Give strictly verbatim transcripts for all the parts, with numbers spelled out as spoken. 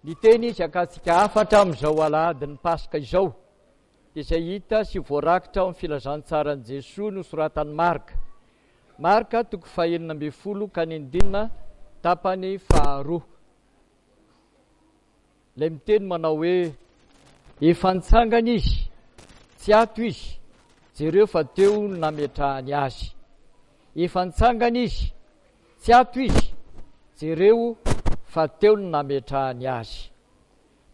Ny teny izy akantsika hafatra amin'izao alahadin'ny Paska izao dia izay hita sy voarakitra ao amin'ny filazantsaran'i Jesoa nosoratan'i Marka. Marka toko fahenina ambin'ny folo ka ny andinina tapany faharoa. Ilay miteny manao hoe efa nitsangana izy, tsy ato izy, jereo fa teo no nametrahany azy. Efa nitsangana izy, tsy ato izy, jereo fa teo no nametrahany azy.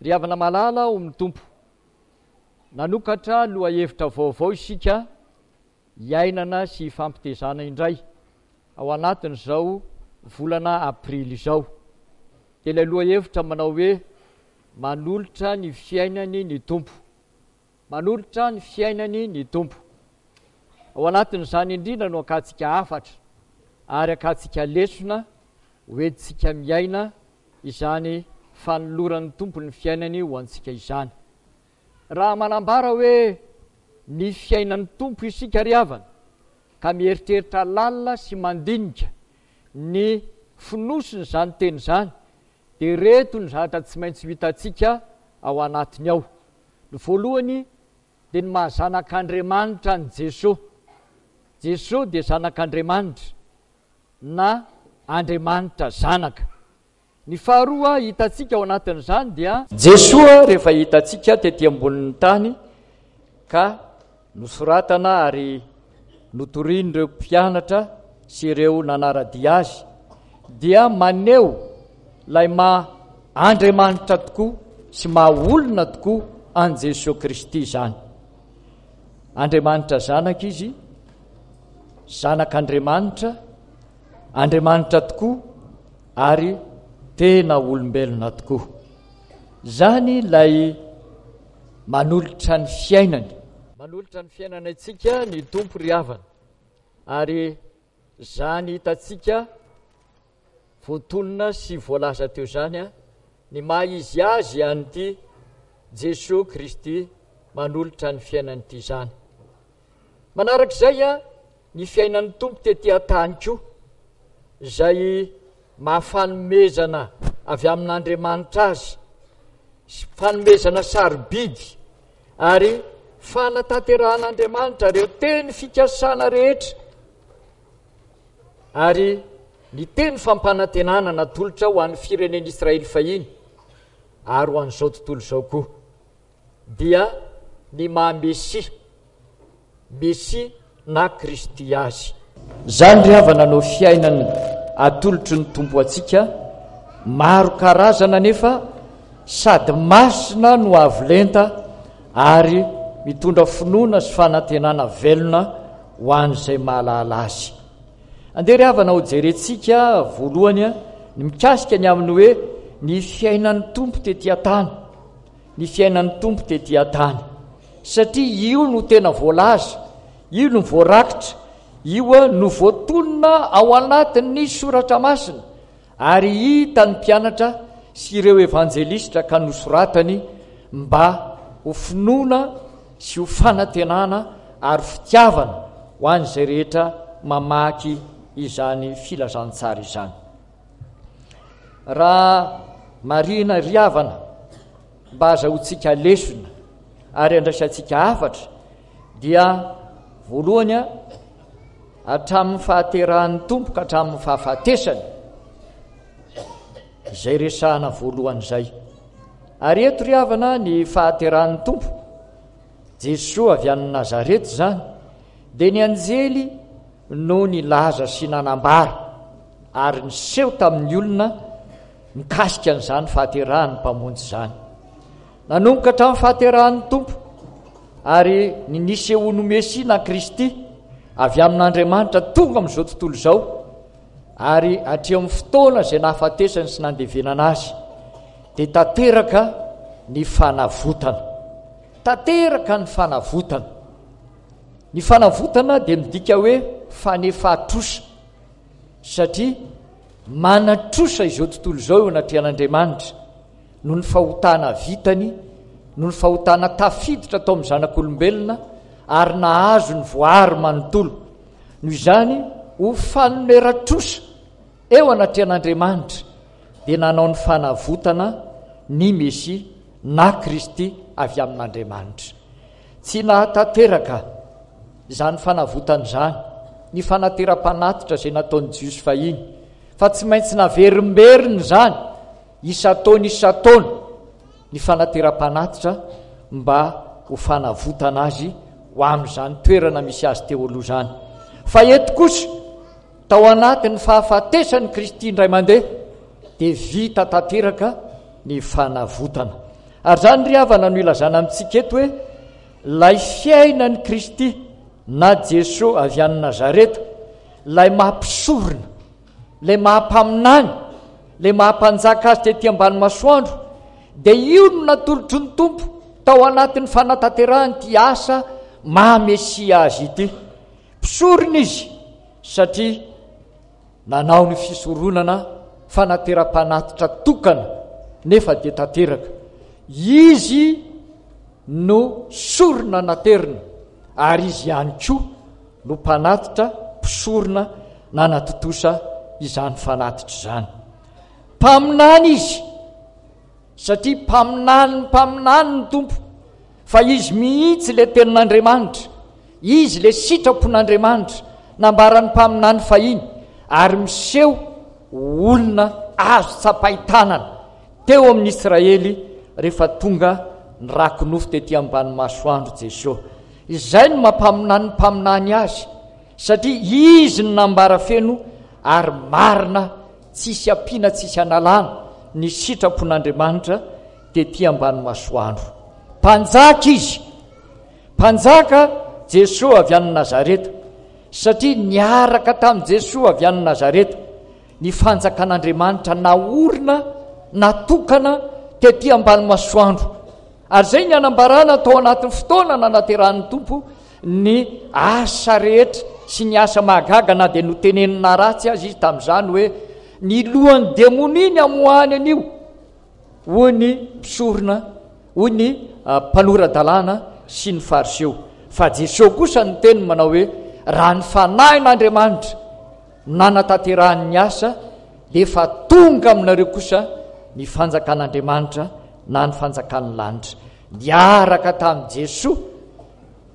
Ry havana malala ao amin'ny Tompo, nanokatra lohahevitra vaovao isika hiainana sy hifampitezana indray ao anatin'izao volana aprily izao. Dia ilay lohahevitra manao hoe manolotra ny fiainany ny Tompo. Manolotra ny fiainany ny Tompo. Ao anatin'izany indrindra no akantsika hafatra ary akantsika lesona hoentintsika miaina izany fanoloran'ny Tompo ny fiainany ho antsika izany. Raha manambara hoe ny fiainan'ny Tompo isika ry havana, ka mieritreritra lalina sy mandinika ny fonosin'izany teny izany, dia ireto ny zavatra tsy maintsy ho hitantsika ao anatiny ao. Ny voalohany dia ny maha zanak'Andriamanitra an'i Jesoa. Jesoa dia zanak'Andriamanitra na Andriamanitra Zanaka. Ny faharoa hitantsika ao anatin'izany dia Jesoa rehefa hitantsika tety ambonin'ny tany ka nosoratana ary notorian'ireo mpianatra sy ireo nanara-dia azy dia maneho ilay maha Andriamanitra tokoa sy maha olona tokoa an'i Jesoa Kristy izany. Andriamanitra Zanaka izy, Zanak'Andriamanitra, Andriamanitra tokoa ary tena olombelona tokoa. Izany ilay manolotra ny fiainany. Manolotra ny fiainana antsika ny Tompo ry havana. Ary izany hitantsika voatonona sy voalaza teo izany, ny maha izy azy an'ity Jesoa Kristy manolotra ny fiainany ity izany. Manarak'izay, ny fiainan'ny Tompo tety an-tany koa, izay maha fanomezana avy amin'Andriamanitra azy, fanomezana sarobidy ary fanatanterahan'Andriamanitra ireo teny fikasana rehetra ary ny teny fampanantenana natolotra ho an'ny firenen'Israely fahiny ary ho an'izao tontolo izao koa, dia ny maha Mesia, Mesia na Kristy azy. Izany ry havana no fiainana atolotry ny Tompo antsika, maro karazana anefa sady masina no avo lenta ary mitondra finoana sy fanantenana velona ho an'izay mahalala azy. Andeha ry havana ho jerentsika voalohany ny mikasika ny amin'ny hoe ny fiainan'ny Tompo tety an-tany. Ny fiainan'ny Tompo tety an-tany. Satria io no tena voalaza, io no voarakitra, io no voatonona ao anatin'ny Soratra Masina ary hitan'ny mpianatra sy ireo evanjelistra ka nosoratany mba ho finoana sy ho fanantenana ary fitiavana ho an'izay rehetra mamaky izany filazantsara izany. Raha marihina ry havana mba azahoantsika lesona ary andraisantsika hafatra dia voalohany hatramin'ny fahaterahan'ny Tompo ka hatramin'ny fahafatesany, izay resahana voalohany izay. Ary eto ry havana ny fahaterahan'ny Tompo Jesoa avy any Nazareta izany dia ny anjely no nilaza sy nanambara ary niseho tamin'ny olona mikasika an'izany fahaterahan'ny Mpamonjy izany. Nanomboka hatramin'ny fahaterahan'ny Tompo ary ny nisehoan'ny Mesia na Kristy avy amin'Andriamanitra tonga amin'izao tontolo izao ary hatreo amin'ny fotoana izay nahafatesany sy nandevenana azy dia tanteraka ny fanavotana. Tanteraka ny fanavotana. Ny fanavotana dia midika hoe fanefa-trosa satria manan-trosa izao tontolo izao eo anatrehan'Andriamanitra noho ny fahotana vitany, noho ny fahotana tafiditra tao amin'ny zanak'olombelona ary nahazo ny voary manontolo. Noho izany, ho fanoneran-trosa eo anatrehan'Andriamanitra dia nanao ny fanavotana ny Mesia na Kristy avy amin'Andriamanitra. Tsy nahatanteraka izany fanavotana izany ny fanateram-panatitra izay nataon'ny Jiosy fahiny, fa tsy maintsy naverimberina izany isan-taona isan-taona ny fanateram-panatitra mba ho fanavotana azy ho amin'izany toerana misy azy teo aloha izany. Fa eto kosa, tao anatin'ny fahafatesan'i Kristy indray mandeha, dia vita tanteraka ny fanavotana. Ary izany ry havana no ilazana amintsika eto hoe ilay fiainan'i Kristy na Jesoa avy any Nazareta, ilay maha mpisorona, ilay maha mpaminany, ilay maha mpanjaka azy tety ambany masoandro, dia io no natolotry ny Tompo tao anatin'ny fanatanterahany ity asa maha Mesia azy ity. Mpisorona izy satria nanao ny fisoronana fanateram-panatitra tokana nefa dia tanteraka. Izy no sorona naterina ary izy ihany koa no mpanatitra mpisorona nanatontosa izany fanatitra izany. Mpaminany izy satria mpaminany mpaminany ny Tompo, fa izy mihitsy ilay tenin'Andriamanitra, izy ilay sitrapon'Andriamanitra nambaran'ny mpaminany fahiny ary miseho ho olona azo tsapain-tanana teo amin'ny Israely rehefa tonga ny rako-nofo tety ambany masoandro Jesoa. Izay no mampaminany mpaminany azy, satria izy no nambara feno ary marina, tsisy ampiana tsisy analana ny sitrapon'Andriamanitra tety ambany masoandro. Mpanjaka izy, mpanjaka Jesoa avy any Nazareta, satria niaraka tamin'i Jesoa avy any Nazareta ny fanjakan'Andriamanitra naorina, natokana tety ambany masoandro. Ary izay ny anambarana tao anatin'ny fotoana nanaterahan'ny Tompo ny asa rehetra sy ny asa mahagaga, na dia notenenina ratsy azy izy tamin'izany hoe ny lohan'ny demonia ny amoahany an'io, hoy ny mpisorona, hoy ny mpanora-dalàna sy ny Fariseo. Fa Jesoa kosa niteny manao hoe raha ny fanahin'Andriamanitra nanatanterahany ny asa, dia efa tonga aminareo kosa ny fanjakan'Andriamanitra na ny fanjakan'ny lanitra. Niaraka tamin'i Jesoa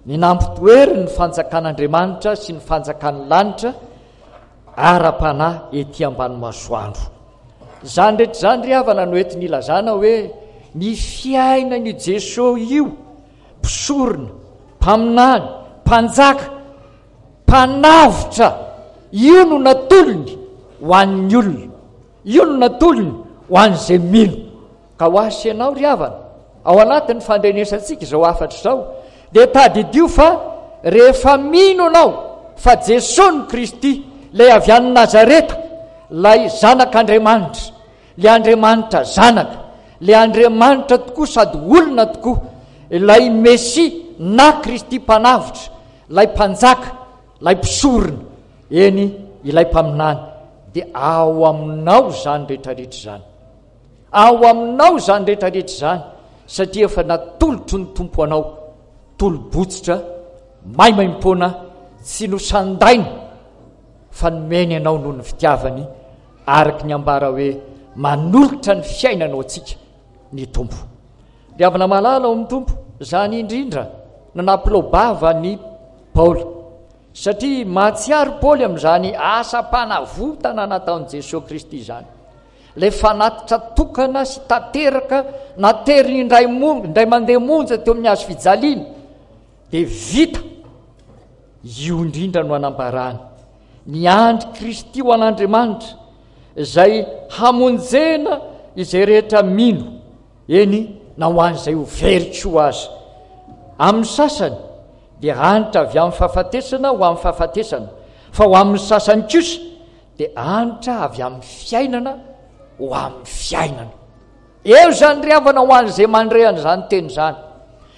ny nampitoery ny fanjakan'Andriamanitra sy ny fanjakan'ny lanitra ara-panahy ety ambany masoandro. Izany rehetra izany ry havana no entiny ilazana hoe ny fiainan'io Jesoa io, mpisorona, mpaminany, mpanjaka, mpanavotra, io no natolony ho an'ny olona, io no natolony ho an'izay mino. Ka ho ahy sy ianao ry havana, ao anatin'ny fandrenesantsika izao hafatra izao, dia tadidio fa rehefa mino ianao fa Jesoa no Kristy, ilay avy any Nazareta, ilay Zanak'Andriamanitra, ilay Andriamanitra Zanaka, ilay Andriamanitra tokoa sady olona tokoa, ilay Mesia na Kristy mpanavotra, ilay mpanjaka, ilay mpisorona, eny ilay mpaminany, dia ao aminao izany rehetrarehetra izany. Ao aminao izany rehetrarehetra izany, satria efa natolotry ny Tompo anao tolo-botsitra maimaimpoana tsy nosandaina fa nomeny anao noho ny fitiavany, araka ny ambara hoe manolotra ny fiainana ho antsika ny Tompo. Ry havana malala ao amin'ny Tompo, izany indrindra no nampilao-bava ny Paoly, satria mahatsiaro Paoly amin'izany asam-panavotana nataon'i Jesoa Kristy izany. Ilay fanatitra tokana sy tanteraka nateriny indray mo-, indray mandeha monja teo amin'ny hazo fijaliana dia vita. Io indrindra no anambarany ny andry Kristy ho an'Andriamanitra, izay hamonjena izay rehetra mino, eny na ho an'izay ho very koa aza. Amin'ny sasany dia hanitra avy amin'ny fahafatesana ho amin'ny fahafatesana, fa ho amin'ny sasany kosa dia hanitra avy amin'ny fiainana ho amin'ny fiainana. Eo izany ry havana ho an'izay mandre an'izany teny izany.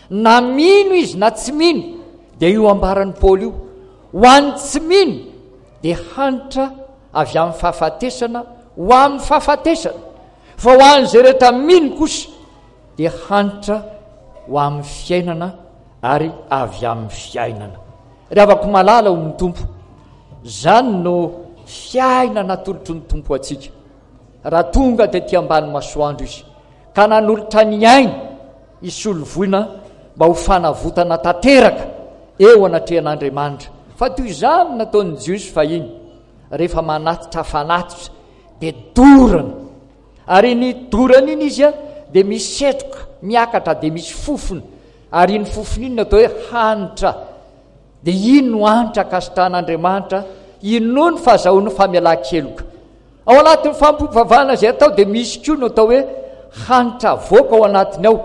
Na mino izy na tsy mino, dia io ambaran'i Paoly io. Ho an'ny tsy mino dia hanitra avy amin'ny fahafatesana ho amin'ny fahafatesana. Fa ho an'izay rehetra mino kosa dia hanitra ho amin'ny fiainana ary avy amin'ny fiainana. Ry havako malala ao amin'ny Tompo, izany no fiainana atolotry ny Tompo antsika. Raha tonga tety ambany masoandro izy ka nanolotra ny ainy hisolo voina mba ho fanavotana tanteraka eo anatrehan'Andriamanitra. Fa toy izany no nataon'ny Jiosy fahiny, rehefa manatitra fanatitra dia dorana, ary iny dorana iny izy dia misy setroka miakatra, dia misy fofona, ary iny fofona iny no atao hoe hanitra. Dia iny no hanitra ankasitrahan'Andriamanitra, inoa ny fahazahoany famelan-keloka. Ao anatin'ny fampivavahana izay atao dia misy koa no atao hoe hanitra avoaka ao anatiny ao,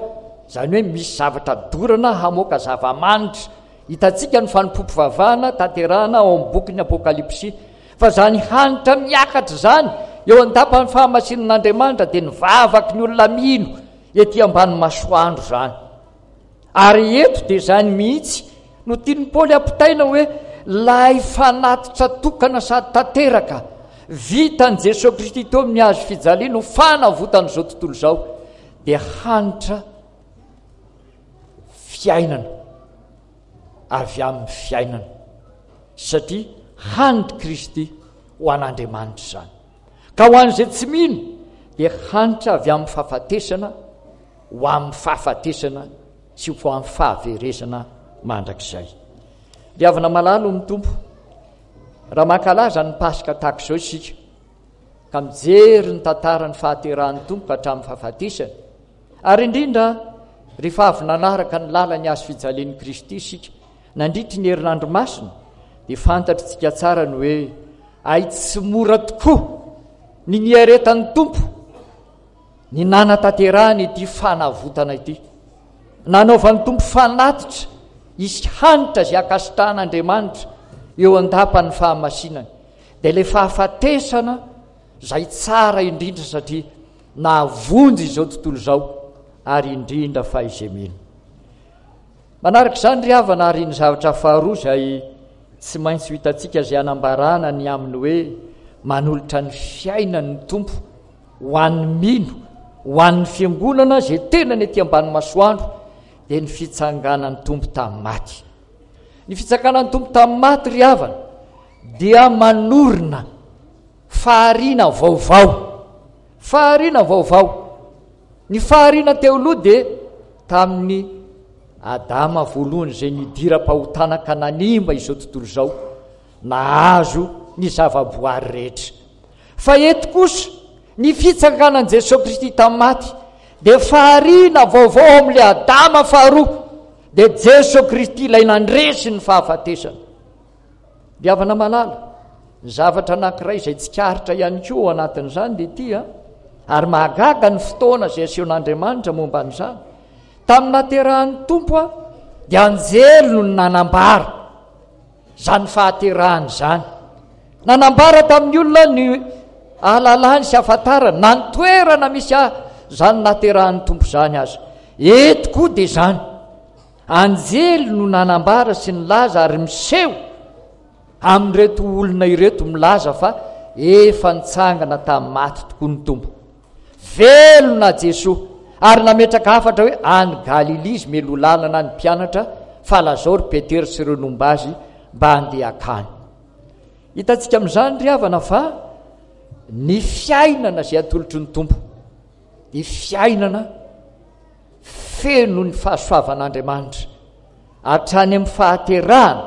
izany hoe misy zavatra dorana hamoaka zava-manitra. Hitantsika ny fanompoam-pivavahana tanterahana ao amin'ny bokin'ny Apokalypsy, fa izany hanitra miakatra izany eo an-dapan'ny fahamasinan'Andriamanitra dia ny vavaky ny olona mino ety ambany masoandro izany. Ary eto dia izany mihitsy no tian'i Paoly ampitaina hoe lay fanatitra tokana sady tanteraka vitan'i Jesoa Kristy teo amin'ny hazo fijaliana ho fanavotan'izao tontolo izao dia hanitra fiainana avy amin'ny fiainana, satria hanitr'i Kristy ho an'Andriamanitra izany. Ka ho an'izay tsy mino dia hanitra avy amin'ny fahafatesana ho amin'ny fahafatesana sy ho amin'ny fahaverezana mandrakizay. Ry havana malala ny Tompo, raha mankalaza ny Paska tahaka izao isika, ka mijery ny tantaran'ny fahaterahan'ny Tompo ka hatramin'ny fahafatesany, ary indrindra rehefa avy nanaraka ny lalan'ny hazo fijalian'i Kristy isika nandritry ny herinandro masina, dia fantatritsika tsara ny hoe ay tsy mora tokoa ny niaretan'ny Tompo ny nanatanterahany ity fanavotana ity. Nanaovan'ny Tompo fanatitra hisy hanitra izay ankasitrahan'Andriamanitra eo an-dapan'ny fahamasinany, dia ilay fahafatesana izay tsara indrindra satria nahavonjy izao tontolo izao, ary indrindra fa izay mino. Manaraka izany ry havana, ary ny zavatra faharoa izay tsy maintsy ho hitantsika izay hanambarana ny amin'ny hoe manolotra ny fiainany ny Tompo ho an'ny mino, ho an'ny fiangonana izay tenany ety ambany masoandro, dia ny fitsanganan'ny Tompo tamin'ny maty. Ny fitsanganan'ny Tompo tamin'ny maty ry havana dia manorina fahariana vaovao. Fahariana vaovao. Ny fahariana teo aloha dia tamin'ny Adama voalohany izay nidiram-pahotana ka nanimba izao tontolo izao, nahazo ny zava-boary rehetra. Fa eto kosa, ny fitsanganan'i Jesoa Kristy tamin'ny maty dia fahariana vaovao ao amin'ilay Adama faharoa, dia Jesoa Kristy ilay nandresy ny fahafatesana. Ry havana malala, ny zavatra anankiray izay tsikaritra ihany koa ao anatin'izany dia ity, ary mahagaga ny fotoana izay asehon'Andriamanitra momba an'izany. Tamin'ny nahaterahan'ny Tompo dia anjely no nanambara izany fahaterahany izany. Nanambara tamin'ny olona ny ahalalany sy ahafantarany na ny toerana misy ahy izany nahaterahan'ny Tompo izany aza. Eto koa dia izany. Anjely no nanambara sy nilaza ary miseho amin'ireto olona ireto milaza fa efa nitsangana tamin'ny maty tokoa ny Tompo. Velona Jesoa ary nametraka hafatra hoe any Galilia izy mialoha lalana ny mpianatra fa lazao ry Petera sy ireo nomba azy mba handeha hakany. Hitantsika amin'izany ry havana fa ny fiainana izay atolotry ny Tompo dia fiainana feno ny fahasoavan'Andriamanitra hatrany amin'ny fahaterahana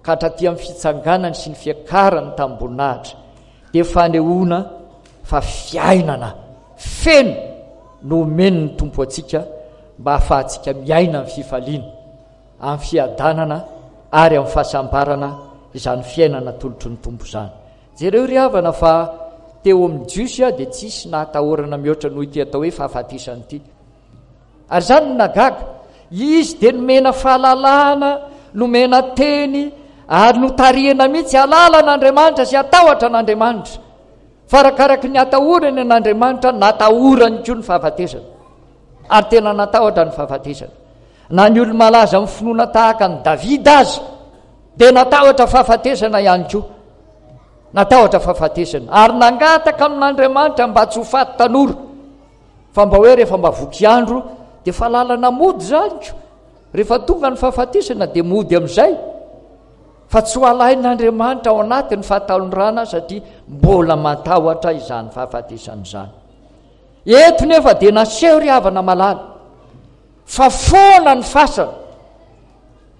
ka hatraty amin'ny fitsanganany sy ny fiakarany tamim-boninahitra, dia fanehoana fa fiainana feno no omen'ny Tompo antsika mba hahafahantsika miaina amin'ny fifaliana, amin'ny fiadanana ary amin'ny fahasambarana izany fiainana atolotry ny Tompo izany. Jereo ry havana fa teo amin'ny Jiosy dia tsisy nahatahorana mihoatra noho ity atao hoe fahafatesana ity. Ary izany no nahagaga. Izy dia nomena fahalalahana, nomena teny, ary notarihina mihitsy hahalala an'Andriamanitra sy hatahotra an'Andriamanitra. Fa arakaraky ny hatahorany an'Andriamanitra, natahorany koa ny fahafatesana. Ary tena natahotra ny fahafatesana. Na ny olo-malaza amin'ny finoana tahaka an'i Davida aza, dia natahotra fahafatesana ihany koa. Natahotra fahafatesana. Ary nangataka amin'Andriamanitra mba tsy ho faty tanora. Fa mba hoe rehefa mba voky andro dia efa lalana mody izany ko. Rehefa tonga ny fahafatesana dia mody amin'izay. Fa tsy ho alain'Andriamanitra ao anatin'ny fahatanorana satria mbola matahotra izany fahafatesana izany. Eto nefa dia naseho ry havana malala fa foana ny fasana.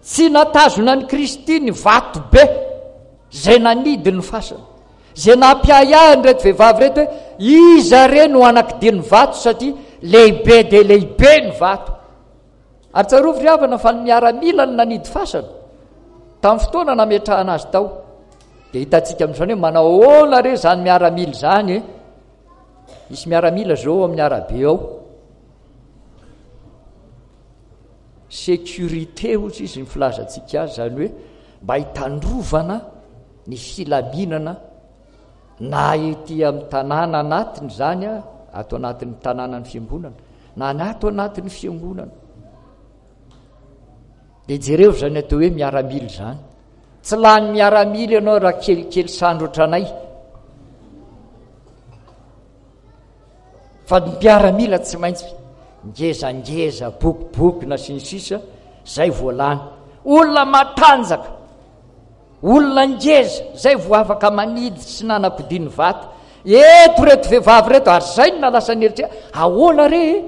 Tsy natazona an'i Kristy ny vato be izay nanidy ny fasana. Izay nampiahiahy an'ireto vehivavy ireto hoe iza re no hanakidia ny vato satria lehibe dia lehibe ny vato. Ary tsarovy ry havana fa ny miaramila no nanidy fasana tamin'ny fotoana nametrahana azy tao. Dia hitantsika amin'izany hoe manao ahoana re izany miaramila izany e? Misy miaramila izao ao amin'ny arabe ao. Sécurité hozy izy ny filazantsika azy, izany hoe mba hitandrovana ny filaminana na ety amin'ny tanàna anatiny izany, ato anatin'ny tanànan'ny fiangonana, na ny ato anatin'ny fiangonana. Dia jereo izany atao hoe miaramila izany. Tsy lany miaramila ianao raha kelikely sandry ohatranay. Fa ny mpiaramila tsy maintsy ngezangeza, bokobokona sy ny sisa, zay vao lany. Olona matanjaka, olona ngeza, zay vao afaka manidy sy nanakodia ny vato. Eto reto vehivavy reto, ary zay no nalasa ny eritreritra. Ahoana re e?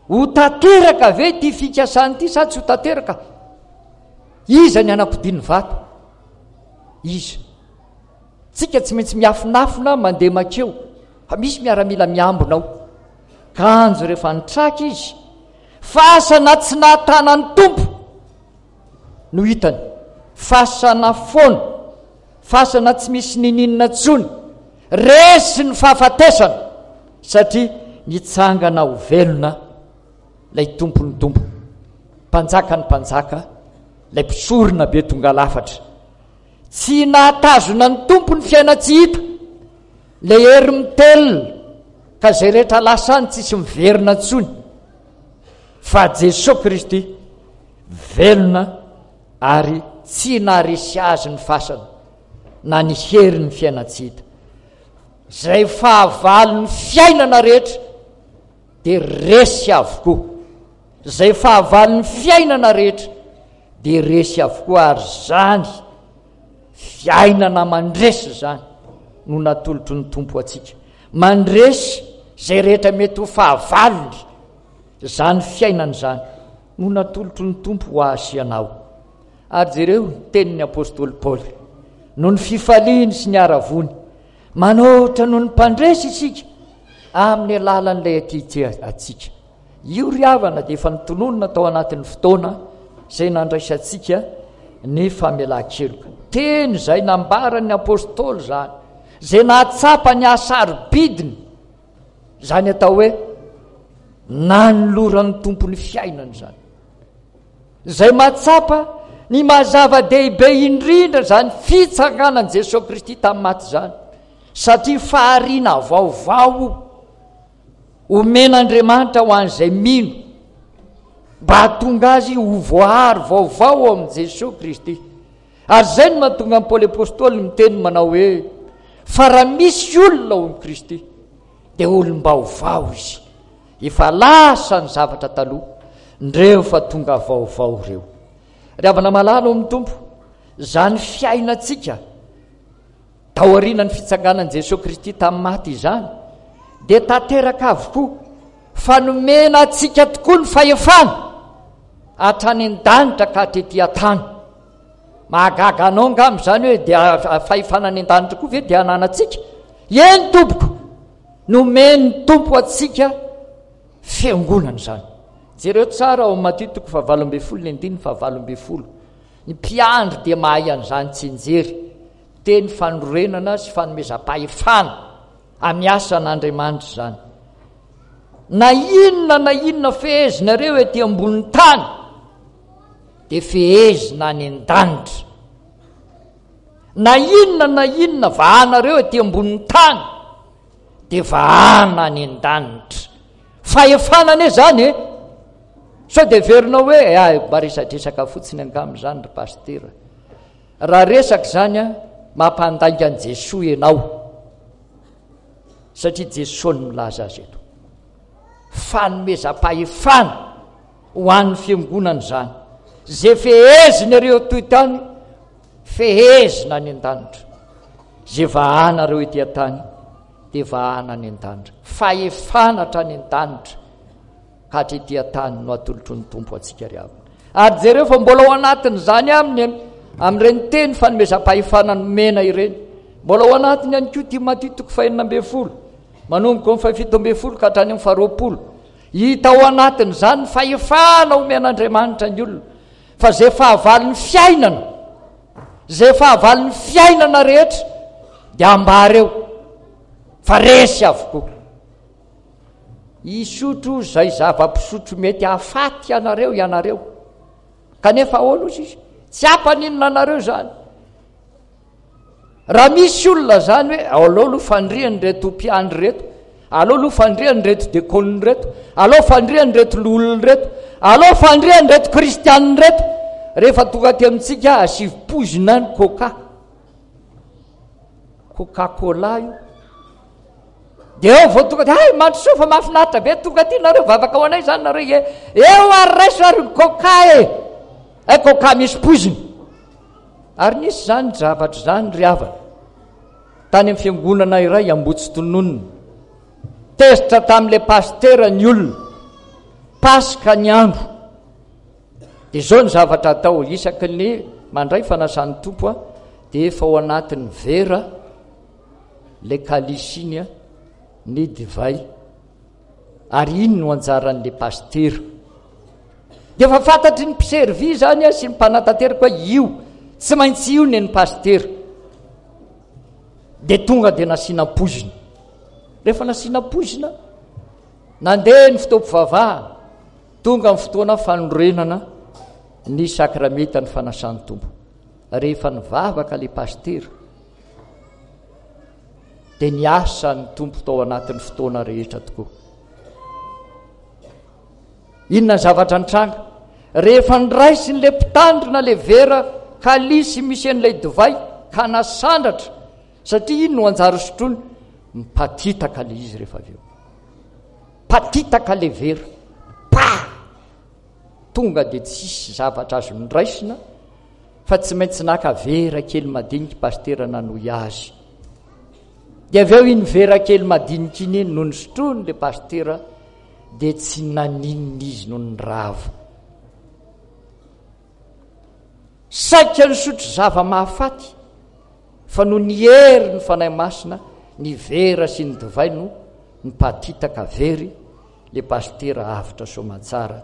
Ho tanteraka ve ity fikasana ity sa tsy ho tanteraka? Iza ny hanakodia ny vato? Iza? Tsika tsy maintsy miafinafina mandeha makeo fa misy miaramila miambina ao. Kanjo rehefa nitraka izy, fasana tsy nahatana ny Tompo no hitany. Fasana foana, fasana tsy misy nininona intsony, resy ny fahafatesana satria nitsangana ho velona ilay Tompon'ny Tompo, Mpanjakan'ny Mpanjaka, ilay Mpisorona be tonga lafatra. Tsy nahatazona ny Tompo ny fiainan-tsy hita, ilay hery mitelina, ka izay rehetra lasa any tsisy miverina intsony, fa Jesoa Kristy velona ary tsy naharesy azy ny fasana na ny herin'ny fiainan-tsy hita. Izay fahavalon'ny fiainana rehetra dia resy avokoa. Izay fahavalon'ny fiainana rehetra dia resy avokoa, ary izany fiainana mandresy izany no natolotry ny Tompo antsika. Mandresy izay rehetra mety ho fahavalony, izany fiainana izany no natolotry ny Tompo ho ahy sy ianao. Ary jereo ny tenin'ny apostoly Paoly, noho ny fifaliany sy ny haravoany, manoatra noho ny mpandresy isika amin'ny alalan'ilay aty antsika. Io ry havana dia efa notononina tao anatin'ny fotoana izay nandraisantsika ny famelan-keloka. Teny izay nambaran'ny apostoly izany, izay nahatsapa ny hasarobidiny, izany atao hoe nanoloran'ny Tompo ny fiainany izany. Izay mahatsapa ny maha zava-dehibe indrindra izany fitsanganan'i Jesoa Kristy tamin'ny maty izany, satria fahariana vaovao omen'Andriamanitra ho an'izay mino mba hahatonga azy ho voahary vaovao ao amin'i Jesoa Kristy. Ary izay no mahatonga an'i Paoly Apostoly miteny manao hoe, fa raha misy olona ao amin'i Kristy dia olom-baovao izy. Efa lasa ny zavatra taloha, ndreo fa tonga vaovao ireo. Ry havana malala ao amin'ny Tompo, izany fiainantsika Taorian'ny fitsanganan'i Jesoa Kristy tamin'ny maty izany, dia tanteraka avokoa fa nomena antsika tokoa ny fahefana hatrany an-danitra ka hatrety an-tany. Mahagaga anao angamba izany hoe dia fahefana any an-danitra koa ve dia ananantsika? Eny tompoko, nomen'ny Tompo antsika fiangonana izany. Jereo tsara ao Matio toko fahavalo ambin'ny folo ny andininy fahavalo ambin'ny folo. Ny mpiandry dia mahay an'izany tsinjery. Teny fanorenana sy fanomezam-pahefana amin'ny asan'Andriamanitra izany. Na inona na inona fehezinareo ety ambonin'ny tany dia fehezina any an-danitra. Na inona na inona vahanareo ety ambonin'ny tany dia vahana any an-danitra. Fahefana anie izany e! Sao dia heverinao hoe eh, mba resadresaka fotsiny angamba izany ry pasitera. Raha resaka izany an, mampandainga an'i Jesoa ianao. Satria Jesoa no milaza azy eto. Fanomezam-pahefana ho an'ny fiangonana izany. Izay fehezinareo toy tany, fehezina any an-danitra. Izay vahanareo ety an-tany, dia vahana any an-danitra. Fahefana hatrany an-danitra ka hatrety an-tany no atolotry ny Tompo antsika ry havana. Ary jereo fa mbola ao anatin'izany aminy amin'ireny teny fanomezam-pahefana nomena ireny. Mbola ao anatiny ihany koa ity Matio toko fahenina ambin'ny folo, manomboka amin'ny fahafito ambin'ny folo ka hatrany amin'ny faharoapolo. Hita ao anatin'izany ny fahefana omen'Andriamanitra ny olona, fa izay fahavalon'ny fiainana, izay fahavalon'ny fiainana rehetra dia ambara eo fa resy avokoa. Hisotro izay zava-pisotro mety hahafaty anareo ianareo. Kanefa ahoana ozy izy? Tsy hampaninona anareo izany. Raha misy olona izany hoe aleo aloha fandrian'ireto mpiandry ireto, aleo aloha fandrian'ireto dekonina ireto, aleo fandrian'ireto loholona ireto, aleo fandrian'ireto kristianina ireto, rehefa tonga aty amintsika asivo poizina ny coca. Coca-Cola io. Dia eo vao tonga dia, hay mandrosoa fa mahafinaritra be, tonga aty nareo, vavaka ho anay izany nareo, ie. Eo ary raiso ary ny coca e. Hay coca misy poizina. Ary nisy izany zavatra izany ry havana. Tany amin'ny fiangonana iray Ambohitsitononina. Tezitra tamin'ilay pasitera ny olona. Paska ny andro. Dia izao ny zavatra atao, isaky ny mandray fanasan'ny Tompo a, dia efa ao anatin'ny vera ilay kalisy iny a, ny divay. Ary iny no anjaran'ilay pasitera. Dia efa fantatry ny mpiservy izany a, sy ny mpanatanteraka hoe io, tsy maintsy io ny an'ny pasitera. Dia tonga dia nasiana poizina. Rehefa nasiana poizina, nandeha ny fotoam-pivavahana, tonga ny fotoana fanorenana ny sakramentan'ny fanasan'ny Tompo. Rehefa nivavaka ilay pasitera, dia niasa ny Tompo tao anatin'ny fotoana rehetra tokoa. Inona ny zavatra nitranga? Rehefa niraisin'ilay mpitandrina ilay vera kalisy misy an'ilay divay ka nasandratra, satria iny no anjara sotroiny, mipatitaka ilay izy rehefa avy eo. Patitaka ilay vera. Pa! Tonga dia tsisy zavatra azo noraisina fa tsy maintsy naka vera kely madinika pasitera nanohy azy. Dia avy eo iny vera kely madinika iny iny no nosotroiny ilay pasitera dia tsy naninona izy no nirava. Saika nisotro zava-mahafaty fa noho ny hery ny Fanahy Masina ny vera sy ny divay no nipatitaka very le pasitera avotra soamantsara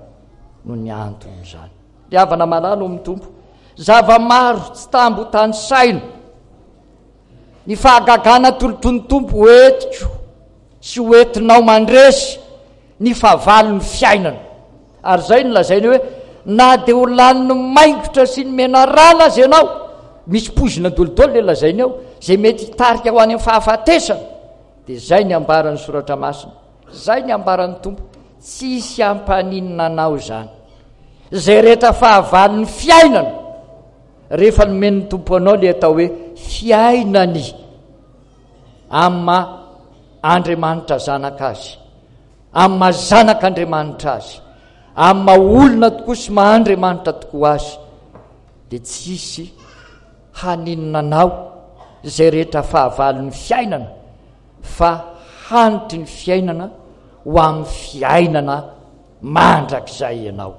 no ny anton'izany. Ry havana malala ao amin'ny Tompo, zava-maro tsy tambo tanisaina ny fahagagana atolotry ny Tompo ho entiko sy ho entinao mandresy ny fahavalon'ny fiainana. Ary izay no lazainy hoe na dia ho lanin'ny maingotra sy ny menarana aza ianao, misy poizina dolidoly le lazainy ao, izay mety hitarika ho any amin'ny fahafatesana, dia izay ny ambaran'ny Soratra Masina. Izay ny ambaran'ny Tompo, tsy hisy hampaninona anao izany. Izay rehetra fahavalon'ny fiainana, rehefa nomen'ny Tompo anao ilay atao hoe fiainany amin'ny maha Andriamanitra Zanaka azy, amin'ny maha Zanak'Andriamanitra azy, amin'ny maha olona tokoa sy maha Andriamanitra tokoa azy, dia tsy hisy haninona anao izay rehetra fahavalon'ny fiainana fa hanitry ny fiainana ho amin'ny fiainana mandrakizay ianao.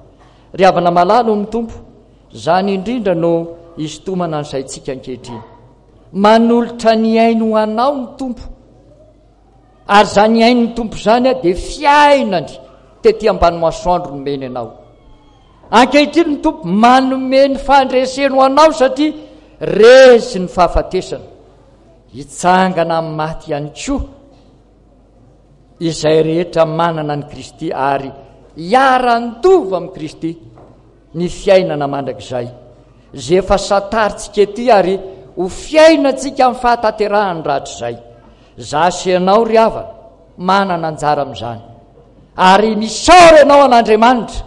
Ry havana malala ao amin'ny Tompo, izany indrindra no isintomana ny saintsika ankehitriny. Manolotra ny ainy ho anao ny Tompo. Ary izany ain'ny Tompo izany dia fiainany tety ambany masoandro nomeny anao. Ankehitriny ny Tompo manome ny fandreseny ho anao satria resy ny fahafatesana. Hitsangana amin'ny maty ihany koa izay rehetra manana an'i Kristy ary hiara-handova amin'i Kristy ny fiainana mandrakizay, izay efa santarintsika ety ary ho fiainantsika amin'ny fahatanterahany rahatrizay. Izaho sy ianao ry havana, manana anjara amin'izany. Ary misaora ianao an'Andriamanitra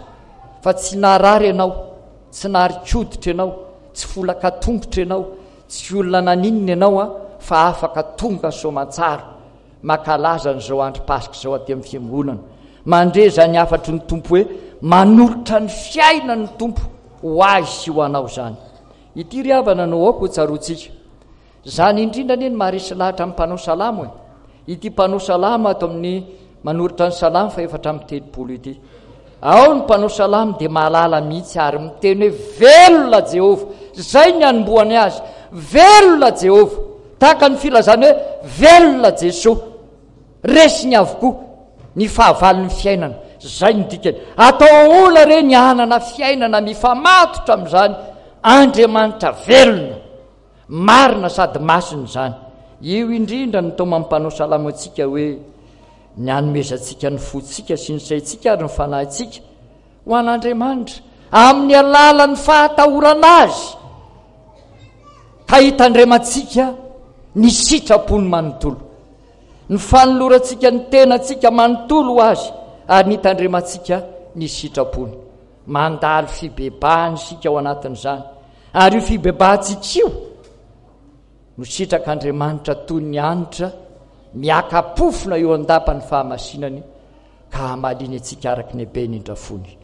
fa tsy narary ianao, tsy narikoditra ianao, tsy folaka tongotra ianao, Tsy olona naninona ianao an, fa afaka tonga soamantsara makalaza an'izao andro Paska izao aty amin'ny fiangonana. Mandre izany hafatry ny Tompo hoe manolotra ny fiainany ny Tompo ho ahy sy ho anao izany. Ity ry havana no aoka ho tsaroantsika. Izany indrindra anie no maharesy lahatra amin'ny mpanao salamo e. Ity mpanao salamo ato amin'ny manoratra ny salamo fahefatra amby telopolo ity. Ao ny mpanao salamo dia mahalala mihitsy ary miteny hoe velona Jehovah. Izay ny anombohany azy. Velona Jehovah. Tahaka ny filazany hoe velona Jesoa. Resiny avokoa ny fahavalon'ny fiainana. Izay ny dikany. Atao ahoana re ny hanana fiainana mifamatotra amin'izany Andriamanitra velona, marina sady masina izany. Io indrindra no taoman'ny mpanao salamo antsika hoe ny hanomezantsika ny fontsika sy ny saintsika ary ny fanahintsika ho an'Andriamanitra amin'ny alalan'ny fahatahorana azy ka hitandremantsika ny sitrapony manontolo, ny fanolorantsika ny tenantsika manontolo ho azy ary ny hitandremantsika ny sitrapony. Mandalo fibebahana isika ao anatin'izany, ary io fibebahantsika io no sitrak'Andriamanitra toy ny hanitra miaka-pofona eo an-dapan'ny fahamasinany ka hamaliany antsika araka ny habeny indrafony.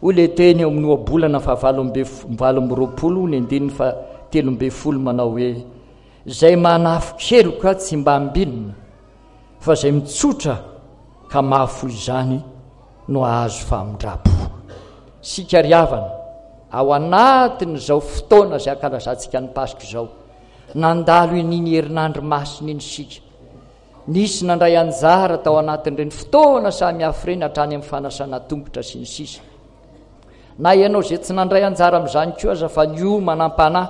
Hoy ilay teny eo amin'ny ohabolana fahavalo amby valo amby roapolo ny andininy fahatelo ambin'ny folo manao hoe izay manafo-keloka tsy mba ambinina fa izay mitsotra ka mahafoy izany no hahazo famindram-po. Isika ry havana, ao anatin'izao fotoana izay ankalazantsika ny Paska izao, nandalo iny herinandro masina iny isika. Nisy nandray anjara tao anatin'ireny fotoana samihafa ireny hatrany amin'ny fanasana tongotra sy ny sisa. Na ianao izay tsy nandray anjara amin'izany koa aza fa niomana am-panahy,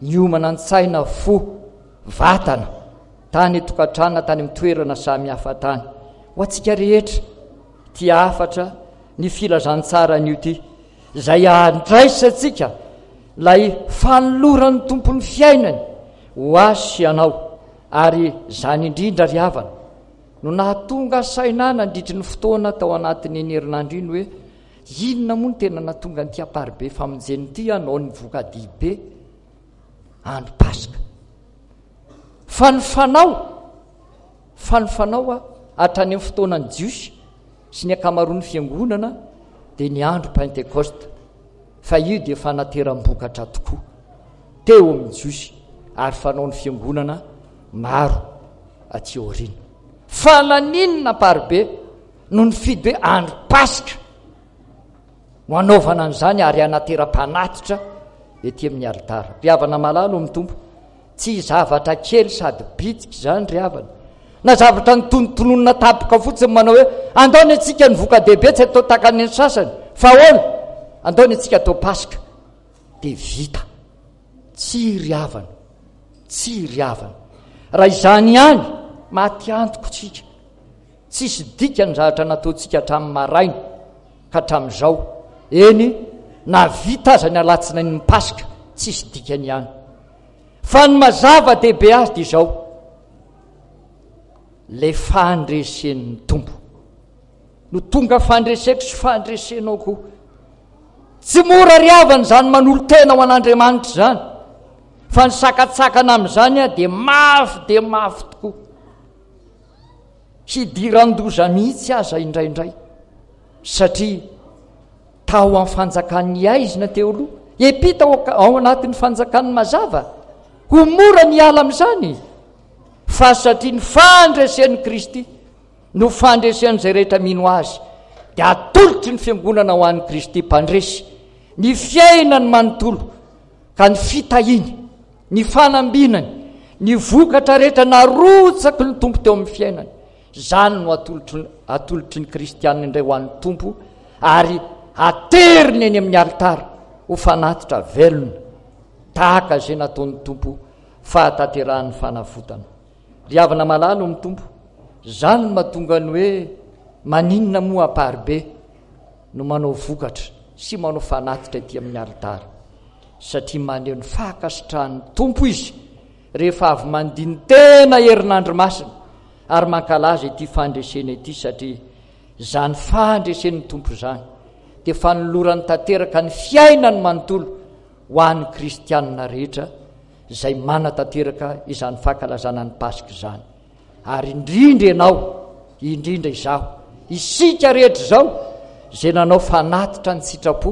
niomana an-tsaina, fo, vatana, tany an-tokantrano na tany amin'ny toerana samihafa tany. Ho antsika rehetra, ity hafatra ny filazantsara anio ity, izay handraisantsika ilay fanoloran'ny Tompo ny fiainany ho ahy sy ianao. Ary izany indrindra ry havana no nahatonga saina ahy nandritry ny fotoana tao anatin'iny herinandro iny hoe inona moa no tena nahatonga an'ity Amparibe famonjena ity hanao ny voka-dehibe andro Paska. Fa ny fanao, fa ny fanao hatrany amin'ny fotoanan'ny Jiosy sy ny ankamaroan'ny fiangonana dia ny andro Pentekosta, fa io dia fanateram-bokatra tokoa teo amin'ny Jiosy ary fanaon'ny fiangonana maro aty aoriana. Fa naninona Amparibe no nifidy hoe andro Paska no hanaovana an'izany ary hanateram-panatitra ety amin'ny alitara? Ry havana malala ao amin'ny Tompo, tsy zavatra kely sady bitika izany ry havana, na zavatra notonotononina tampoka fotsiny manao hoe andao ny antsika ny voka-dehibe tsy atao tahaka ny sasany, fa ahoana? Andao ny antsika atao Paska dia vita. Tsy ry havana, tsy ry havana. Raha izany ihany, maty antoko tsika. Tsisy dikany zavatra nataontsika hatramin'ny maraina ka hatramin'izao. Eny, na vita aza ny alatsinain'ny Paska, tsisy dikany ihany. Fa ny mazava dehibe azy dia izao, ilay fandresen'ny Tompo no tonga fandreseko sy fandresenao koa. Tsy mora ry havana izany manolo-tena ho an'Andriamanitra izany, fa ny sakatsakana amin'izany dia mafy dia mafy tokoa. Hidiran-doza mihitsy aza indraindray, satria tao amin'ny fanjakan'ny haizina teo aloha, hiampita ao anatin'ny fanjakan'ny mazava, ho mora ny hiala amin'izany, fa satria ny fandresen'i Kristy no fandresen'izay rehetra mino Azy, dia atolotry ny fiangonana ho an'i Kristy mpandresy ny fiainany manontolo, ka ny fitahiany, ny fanambinany, ny vokatra rehetra narotsaky ny Tompo teo amin'ny fiainany, izany no atolotry, atolotry ny kristianina indray ho an'ny Tompo ary ateriny eny amin'ny alitara ho fanatitra velona tahaka izay nataon'ny Tompo fahatanterahan'ny fanavotana. Ry havana malala ao amin'ny Tompo, izany no mahatonga ny hoe maninona moa Amparibe no manao vokatra sy manao fanatitra ety amin'ny alitara, satria maneho ny fankasitrahan'ny Tompo izy rehefa avy mandini-tena herinandro masina ary mankalaza ity fandresena ity, satria izany fandresen'ny Tompo izany dia fanolorany tanteraka ny fiainany manontolo ho an'ny kristianina rehetra izay manatanteraka izany fankalazana ny Paska izany. Ary indrindra ianao, indrindra izaho, isika rehetra izao izay nanao fanatitra ny sitrapo,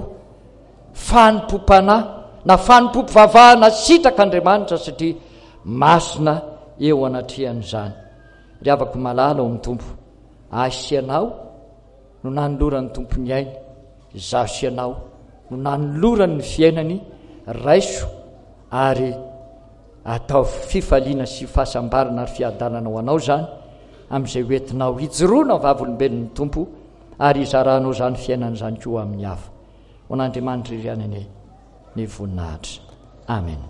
fanompoam-panahy na fanompoam-pivavahana sitrak'Andriamanitra satria masina eo anatrehan'izany. Ry havako malala ao amin'ny Tompo, ahy sy ianao no nanoloran'ny Tompo ny ainy, izaho sy ianao no nanolorany ny fiainany, raiso ary ataovy fifaliana sy fahasambarana ary fiadanana ho anao izany amin'izay hoentinao hijoroana ho vavolombelon'ny Tompo ary hizaranao izany fiainana izany koa amin'ny hafa. Ho an'Andriamanitra irery ihany anie ny voninahitra. Amen.